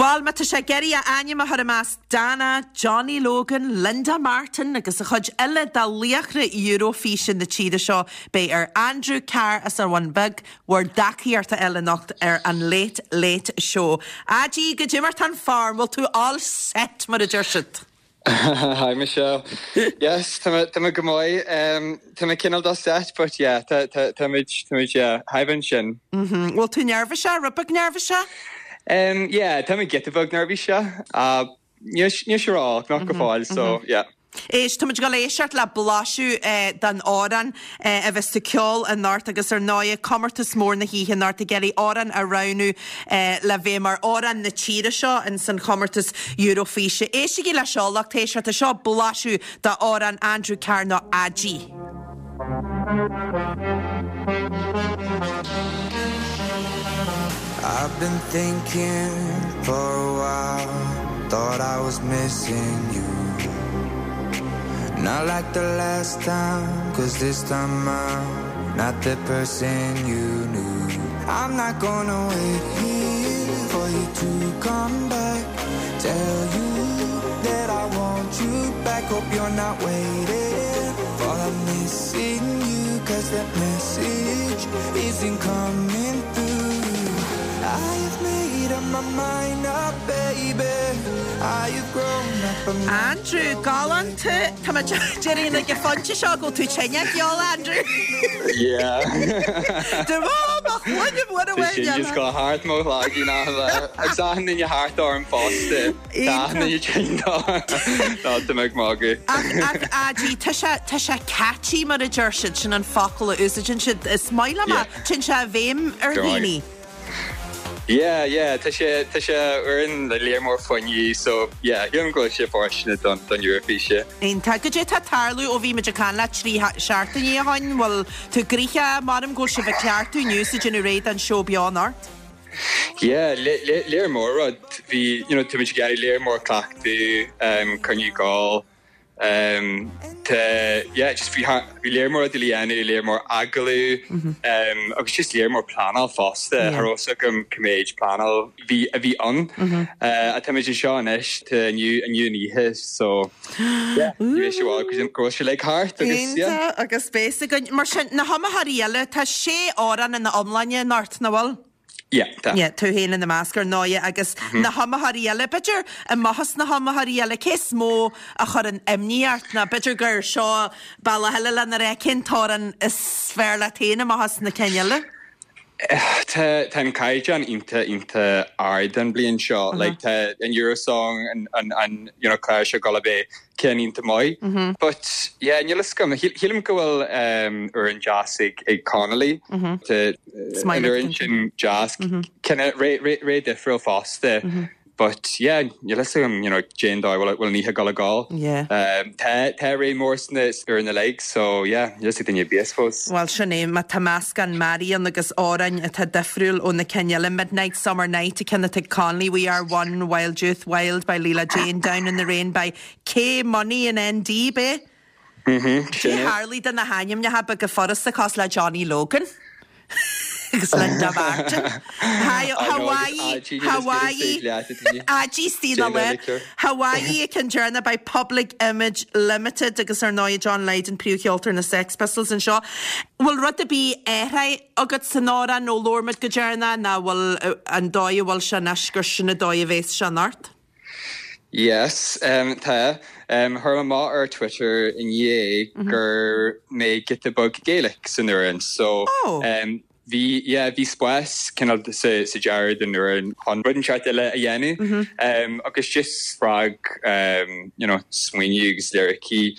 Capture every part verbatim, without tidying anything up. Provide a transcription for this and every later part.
Well má tá sé ag iarraidh a ainm a chur i measc Dana, Johnny Logan, Linda Martin agus a chuid eile de laochra Eurofíse na tíre seo beidh ar Andrew Carr as an Bhun Bheag bhur dtacaíocht a fháil anocht ar an Late Late Show. Adí go dtimart an farm, bhfuil tú all set mar a deir siad. Hi Michelle. Yes, tá mé go maith um, Tá mé cineál all set, but yeah, tá tá tá yeah, haimh sin. Mhm. Bhfuil tú neirbhíseach rud beag neirbhíseach? Um, yeah, tá mé giota beag neirbhíseach. Uh, ní rá nach go fóill, so yeah. Éist tá go léiseart le blaiseadh eh, den amhrán eh, a bheas sa ceol anocht agus ar ndóigh comórtas mór na hoíche anocht ag iarraidh amhrán a roghnú eh, le bheith mar amhrán na tíre seo in san chomórtas Eurofíse. Éistigí leis seo lucht éisteachta seo blaiseadh d'amhrán Andrew Carr nó Adí. I've been thinking for a while, thought I was missing you. Not like the last time, cause this time I'm not the person you knew. I'm not gonna wait here for you to come back. Tell you that I want you back. Hope you're not waiting for I'm missing you, cause that message isn't coming through. I have made up my mind up, baby. I have grown up. I'm not Andrew galánta Tá déiríon ag fáinte seo go tú tenne ceol Andrew. Yeah. De Sin go hart mo láí ná agus duine thart orm fosta Tá me mágu. Adí tá sé catchy mar a deir siad sin an focal a úsáideann siad is maith liom Yeah. Téann sé i bhfeidhm ar Go maith. dhaoine. Yeah, yeah, tá sé tá sé amhrán le léir mór fuinnimh, so yeah, sílim go bhfuil sé fóirsteanach don don Eurofíse. Iontach goidé tá tarlú ó bhí muid ag caint leat trí seachtaine ó shin bhfuil tú gnóthach mar go sibh ag cleachtadh inniu sa déanamh réidh don seó beo anocht. Yeah, léir mór rud bhí you know, tá muid ag léir mór cleachtadh um, coinní gáil. Um, te, yeah, just bhí bhí léir mór de dhéanamh léir mór agallamh um, agus just léir mór pleanáil fosta Yeah. yeah. Thá gom coméid pleanáil bhí a bhí an uh, a tá muid seo anois te inniu inniu oíche so yeah, ní sé go bhfuil sé le thart agus yeah. Iontach agus spéis againn mar sin na hiomaitheoirí eile tá sé amhrán ina iomláine anocht nach bhfuil? Yeah, tá. Yeah, tú féin ina measc ar ndóigh agus na hiomaitheoirí eile, b'fhéidir amach na hiomaitheoirí eile cé is mó a chuireann imní ort ná b'fhéidir gur seo bealach eile lena rá cén t-amhrán is fearr leat féin amach na cinn eile? Tá tá an caighdeán iontach iontach ard an bliain seo, like tá an Eurosong an an an you know clár seo go bé cén iontach maith. But yeah, níl a fhios agam sílim go bhfuil um, amhrán deas ag ag Connolly Tá Smile an amhrán sin deas cine ré ré ré difriúil fosta. But yeah, níl a fhios agam you know Jane dá bhfuil bhfuil níthe go gáil. Yeah. Um, tá tá ré mór sna ar na legs, so yeah, níl a duine bí suppose. Well sin é má tá meascán Marion agus amhráin atá difriúil ó na cinn eile Midnight Summer Night a ceann ag Connolly We Are One Wild Youth Wild by Leela Jane Down in the Rain by K Money and ND bé. Sin é. Harley den na hainmneacha be go furasta cos le Johnny Logan. agus Linda Martin. Hi, Hawaii, Hawaii, Ají Stina le Hawaii can journey by Public Image Limited agus ar ndóigh John Lydon príomhcheoltóir na Sex Pistols anseo. Bhfuil rud a bhí athraithe agat san amhrán nó lormid go dearna ná bhfuil an dóigh bhfuil se anois gur sin an dóigh a bheas sé anocht? Yes, um, tá um, chuir mé amach ar Twitter inné gur mé giota beag Gaelic san amhrán so Oh. um, bhí yeah, bhí spás cineál sa sa dearadh den amhrán chun rud inteacht eile a dhéanamh um, agus just spreag um, you know, smaoineamh agus lyricí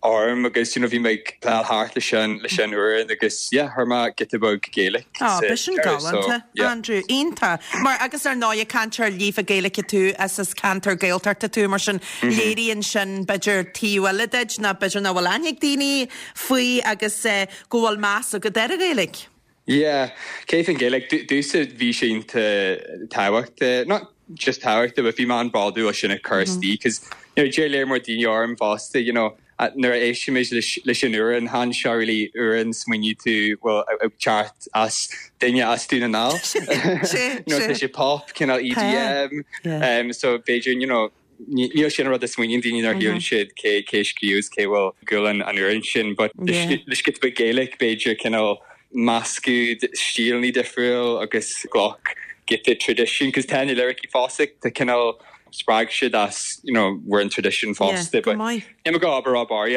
orm agus you know, bhí mé ag pleanáil thart leis an leis an amhrán agus yeah, chuir mé giota beag Gaelic Ah, sa b'shin deireadh, so, galánta, yeah. Andrew, iontach. Mar agus ar ndóigh cainteoir líofa Gaeilge tú as as ceantar Gaeltachta tú mar sin léiríonn sin b'fhéidir taobh eile díot ná b'fhéidir nach bhfuil aithne ag daoine faoi agus eh, go bhfuil meas agat ar an Ghaeilge. Yeah, cé an Gaelic dúsa bhí sé iontach tábhachtach not just tábhachtach, but bhí mé an-bhródúil sin a chur isteach, cos you know, deir léir mór daoine orm fosta, you know, nuair a éistimid leis an amhrán chan seo really amhrán smaoiníonn tú well ag teacht as duine as Dún na nGall. No tá sé pop cineál EDM um, so b'fhéidir you know, níl sin rud a smaoiníonn daoine ar shíleann siad cé cé scríobh cé bhfuil gúil an amhrán sin, but leis giota beag Gaelic b'fhéidir cineál meascadh stíleanna difriúil agus glac giota tradition, cos tá na lyricí fosta tá cineál spreag siad as you know we're in tradition fosta but Ní go aber bar you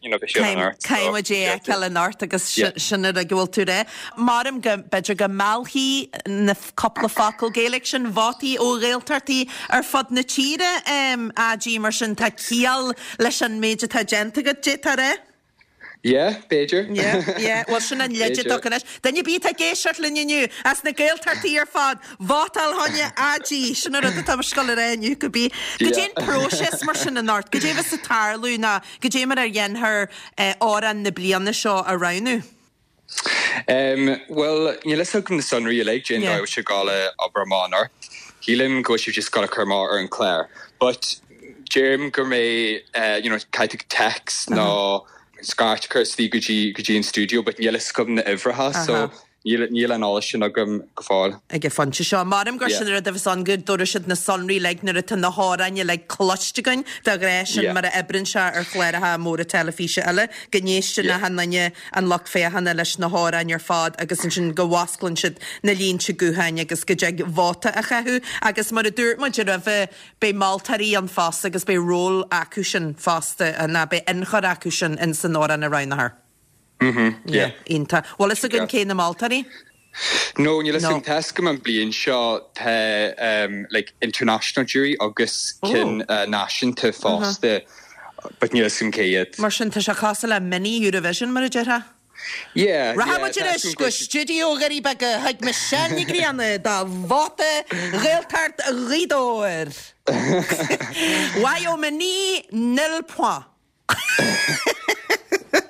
know Caithfidh é fheiceáil anocht agus sin ar a bhfuil tú ré. Maram go b'fhéidir go meallfaidh na cúpla focal Gaelic sin vótaí ó Ghaeltachtaí ar fud na tíre AG mar sin tá ciall leis an méid atá déanta agat d'fhéadfá rá? Yeah, b'fhéidir. Yeah, yeah. Well sin an leid atá anois. Duine ar bith ag éisteacht linn inniu as na Gaeltachtaí ar fad, vótáil choinne AG sin an rud atá scoil ar inniu go bí. Goidé an próiseas mar sin anocht, goidé a bheas ag tarlú ná goidé mar a dhéanfar amhrán na bliana seo a roghnú. Um, well, níl a fhios agam na sonraí uilig cén dóigh sé ag gabháil a obair amach anocht. Shílim go bhfuil sibh just gabháil a chur amach ar an chlár. But deirim go mbeidh uh, you know, caithfidh text nó scairt chur isteach go dtí go dtí an studio, but níl a fhios agam na huimhreacha, so níl níl an eolas sin agam go fóill. Ag an phointe seo. Maram gur sin rud a bheas ann go dtabharfaidh siad na sonraí uilig nuair atá na hamhráin uilig cloiste againn de ghnáth sin mar a oibríonn sé ar chláracha móra teilifíse eile, go n-éisteann achan duine an lucht féachana leis na hamhráin ar fad agus ansin go bhfosclann siad na línte gutháin agus go dtig vóta a chaitheamh agus mar a dúirt muid roimhe beidh moltóirí ann fosta agus beidh ról acu sin fosta ná beidh ionchur acu sin in san amhrán a roghnófar. Mhm, yeah. Iontach. Bhfuil fhios againn cé na moltóirí? No, níl a fhios agam tá a fhios agam an bliain seo tá um, like international jury agus cinn uh, náisiúnta fosta, but níl a fhios agam cé iad. Mar sin tá sé cosúil le mini Eurovision mar a déarfá? Yeah, Rachaidh muid anois go stiúideo Dhoirí Beaga chuig Michelle Ní Ghrianna do vóta Ghaeltacht Ghaoth Dobhair. Mhaigh Eo naoi nil point.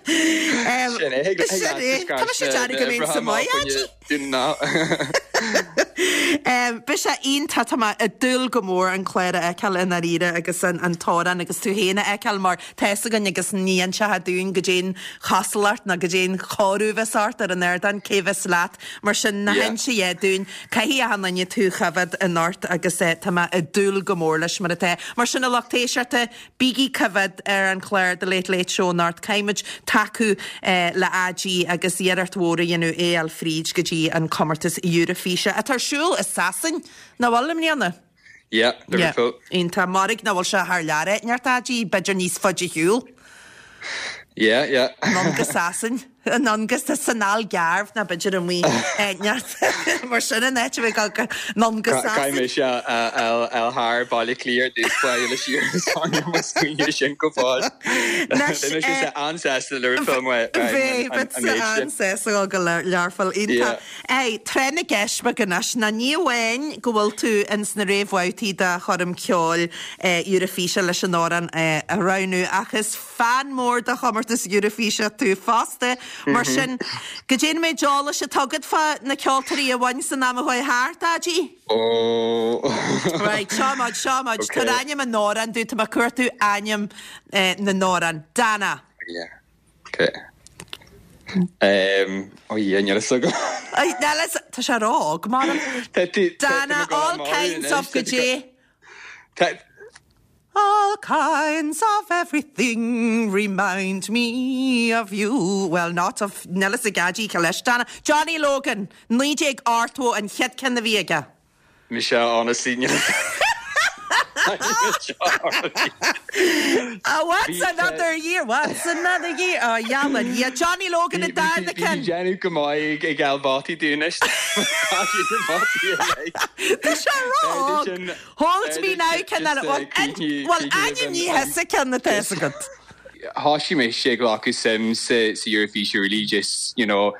Sin é, Sin é. Tá sé dearna go mbíonn sa maith Beidh sé iontach tá mé ag dúil go mór an clár a fheiceáil i ndáiríre agus an an t-amhrán agus tú féin a fheiceáil mar tá fhios againn agus ní inseofá dúinn goidé an chosúlacht ná goidé an chóiriú a bheas ort ar an ardán cé bheas leat mar sin ná hinis a dhath dúinn caithfidh achan duine tú a choimhéad anocht agus eh, tá mé ag dúil go mór leis mar atá. Mar sin a lucht éisteachta bígí coimhéad ar an chlár The Late Late Show anocht caithfimid tacú eh, le AG agus iarracht mhór a dhéanamh é a fháil fríd go dtí an comórtas Eoraipeach atá ar siúl i Sasain nach bhfuil i mbliana. Yeah, Liverpool. Iontach mairg nach bhfuil sé thar lear neart AG b'fhéidir níos faide shiúl. Yeah, yeah. Anonn go Sasain anonn go san Algarve ná b'fhéidir an mí neart mar sin an áit a bheith go anonn go Caithfidh Sasain. mé se el thar Baile Cliath dúspa le siar sin go fóill. Anois, sé an-sásta Liverpool Bhí an go Learpholl iontach. Ei, tráth na gceist beag anois ná ní amháin go bhfuil tú ins na réamhbhabhtaí de choirm ceoil Eoraipeach leis an amhrán a roghnú ach is fan mór de chomórtas Eoraipeach tú fosta mar sin goidé an méid eolais atá agat fá na ceoltóirí a bhain san am a chuaigh thart AG? Ó Right, seo muid, seo muid, Okay. Tabhair ainm an amhráin dom tá mé ag cuartú ainm eh, na n-amhrán. Dana. Yeah. Okay. Um, ó yeah, níl a fhios agam. Ai, Nellis, tá sé ró-óg mar. Dana, all kinds of goidé. All kinds of everything remind me of you. Well, not of Nellis Gadji leis Dana. Johnny Logan, naoi déag ochtó an chéad cheann a bhí aige. Michelle, honestly, níl Oh, what's another year? What's another year? Oh, yeah, yeah. Johnny Logan a darna ceann. Déanamh go maith ag fáil vótaí dúinn. Tá sé ró-óg. Hold me now ceann eile. Well, well, ainm ní hesa ceann atá agat. Thosaigh mé sé glacadh suim sa sa Eurovision really just you know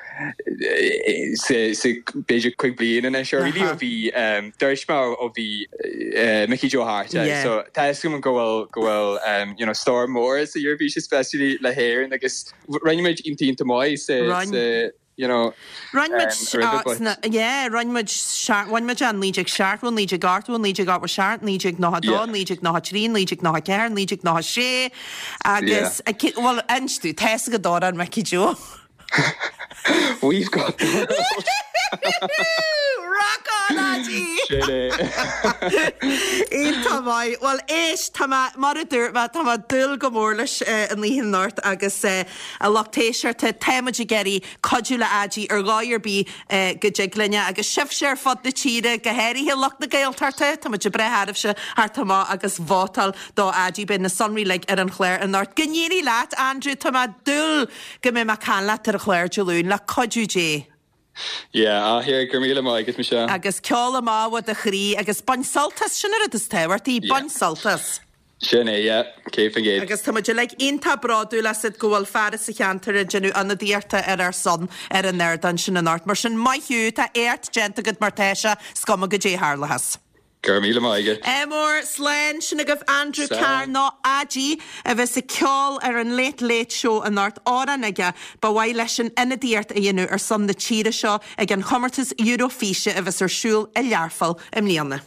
sa sa b'fhéidir cúig bliana anois or really ó bhí um, dúirt mé ó bhí uh, Mickey Joe Harte Yeah. so tá a fhios agam go bhfuil go bhfuil um, you know star mór sa Eurovision especially le hÉirinn agus rinne muid iontach maith sa Rinne. sa you know Rinne muid yeah rinne muid bhain muid an naoi déag seachtó naoi déag ochtó naoi déag ochtó seacht naoi déag nócha dó naoi déag nócha trí naoi déag nócha ceathair naoi déag nócha sé agus bhuel inis tú tá a fhios agat amhrán Mickey Joe. We've got the world. Rock on Adí! Sin é. Iontach maith. Bhuel éist, tá mé, mar a dúirt mé, tá mé ag dúil go mór leis an oíche anocht agus a lucht éisteachta, tá muid ag iarraidh cuidiú le Adí ar dhóigh ar bith go dtig linne agus sibhse ar fud na tíre, go háirithe lucht na Gaeltachta, tá muid ag breith oraibhse theacht amach agus vótáil do Adí. Beidh na sonraí uilig ar an chlár anocht. Go n-éirí leat, Andrew, tá mé ag dúil go mbeidh mé ag caint leat ar an chlár Dé Luain, le cuidiú Dé. Yeah, ah here go raibh míle maith agat Michelle. Agus ceol amach ó do chroí agus bain sult as, sin an rud is tábhachtaí, bain sult as. Sin é, yeah, céad faoin gcéad. Agus tá muid uilig iontach bródúil asat go bhfuil fear as an cheantar ag déanamh ionadaíochta ar ár son ar an ardán sin anocht. Mar sin, maith thú, tá éacht déanta agat mar tá sé, is cuma goidé a tharlóchas. Go raibh míle maith agat. Ádh mór, slán, sin agaibh Andrew Carr nó Adí a bheas ag ceol ar an Late Late Show anocht, amhrán aige ba mhaith leis an ionadaíocht a dhéanamh ar son na tíre seo ag an chomórtas Eurofíse a bheas ar siúl i Learpholl i mbliana.